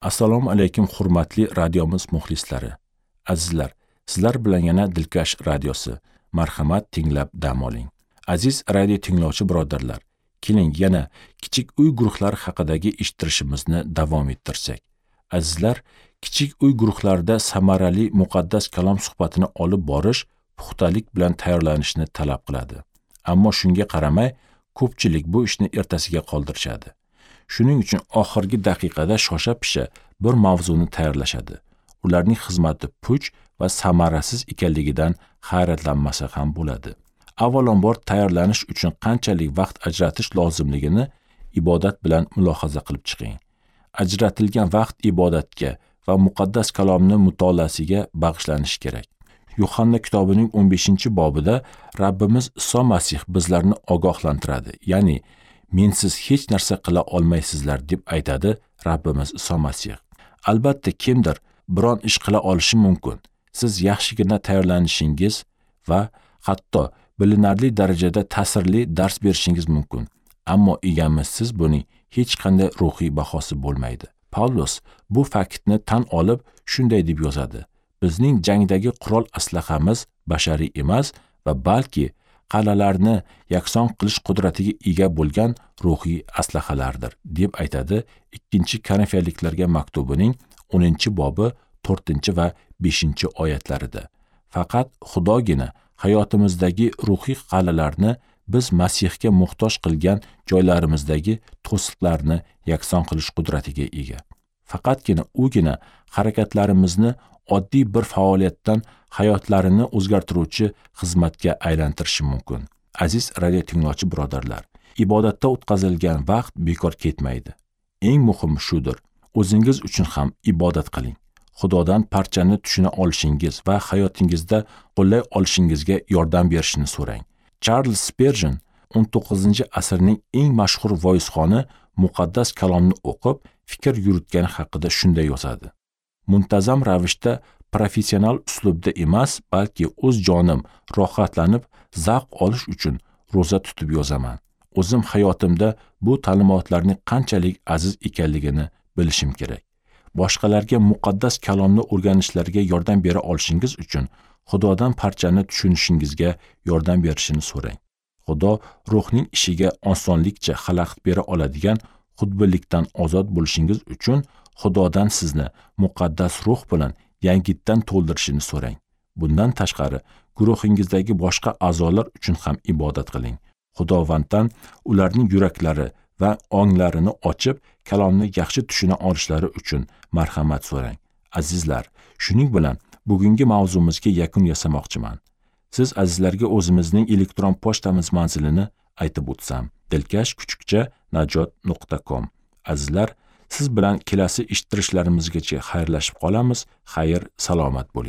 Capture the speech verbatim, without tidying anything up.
Assalomu alaykum hurmatli radiomiz muxlislari. Azizlar, sizlar bilan yana Dilkash radiosi. Marhamat, tinglab dam oling. Aziz radio tinglovchi birodarlar, keling yana kichik uy guruhlari haqidagi eshittirishimizni davom ettirsak. Azizlar, kichik uy guruhlarida samarali muqaddas kalom suhbatini olib borish puxtalik bilan tayyorlanishni talab qiladi. Ammo shunga qaramay, ko'pchilik bu ishni ertasiga qoldirishadi. Shuning uchun oxirgi daqiqada shosha-pisha bir mavzuni tayyorlashadi. Ularning xizmati puch va samarasiz ekanligidan hayratlanmasa ham bo'ladi. Avvalambor tayyorlanish uchun qanchalik vaqt ajratish lozimligini ibodat bilan mulohaza qilib chiqing. Ajratilgan vaqt ibodatga va muqaddas kalomni mutolaasiga bag'ishlanishi kerak. Yuhanna kitobining o'n beshinchi bobida Rabbimiz Iso Masih bizlarni ogohlantiradi. Ya'ni mensiz hech narsa qila olmaysizlar deb aytadi Rabbimiz Iso Masih. Albatta kimdir biron ish qila olishi mumkin. Siz yaxshigina tayyorlanishingiz va hatto bilinarli darajada ta'sirli dars berishingiz mumkin. Ammo egamizsiz buning hech qanday ruhiy bahosi bo'lmaydi. Pavlos bu faktni tan olib shunday deb yozadi: bizning jangdagi qurol aslahamiz bashariy emas va balki qal'alarni yakson qilish qudratiga ega bo'lgan ruhiy aslahalardir, deb aytadi ikkinchi Korinfiyaliklarga maktubining o'ninchi bobi to'rtinchi va beshinchi oyatlarida. Faqat Xudogina hayotimizdagi ruhiy qal'alarni biz Masihga muhtoj qilgan joylarimizdagi to'siqlarni yakson qilish qudratiga ega. Faqatgina ugina harakatlarimizni oddiy bir faoliyatdan hayotlarini o'zgartiruvchi xizmatga aylantirishi mumkin. Aziz radio tinglovchi birodarlar, ibodatda o'tkazilgan vaqt bekor ketmaydi. Eng muhimi shudir. O'zingiz uchun ham ibodat qiling. Xudodan parchani tushuna olishingiz va hayotingizda qo'llay olishingizga yordam berishini so'rang. Charles Spurgeon o'n to'qqizinchi asrning eng mashhur voizxoni muqaddas kalomni o'qib, fikr yuritgani haqida shunday yozadi: muntazam ravishda professional uslubda emas, balki o'z jonim rohatlanib, zavq olish uchun ro'za tutib yozaman. O'zim hayotimda bu ta'limotlarning qanchalik aziz ekanligini bilishim kerak. Boshqalarga muqaddas kalomni o'rganishlariga yordam bera olishingiz uchun Xudodan parchani tushunishingizga yordam berishini so'rang. Xudo ruhning ishiga osonlikcha xalaqit bera oladigan xudbinlikdan ozod bo'lishingiz uchun Xudodan sizni muqaddas ruh bilan yangitdan to'ldirishini so'rang. Bundan tashqari, guruhingizdagi boshqa a'zolar uchun ham ibodat qiling. Xudovanddan ularning yuraklari va onglarini ochib, kalomni yaxshi tushuna olishlari uchun marhamat so'rang. Azizlar, shuning bilan bugungi mavzumizga yakun yasamoqchiman. Siz azizlarga o'zimizning elektron pochtamiz manzilini aytib o'tsam: dilkash kuchukcha najot nuqta com. Azizlar, siz bilan kelasi eshittirishlarimizgacha xayrlashib qolamiz. Xayr, salomat bo'ling.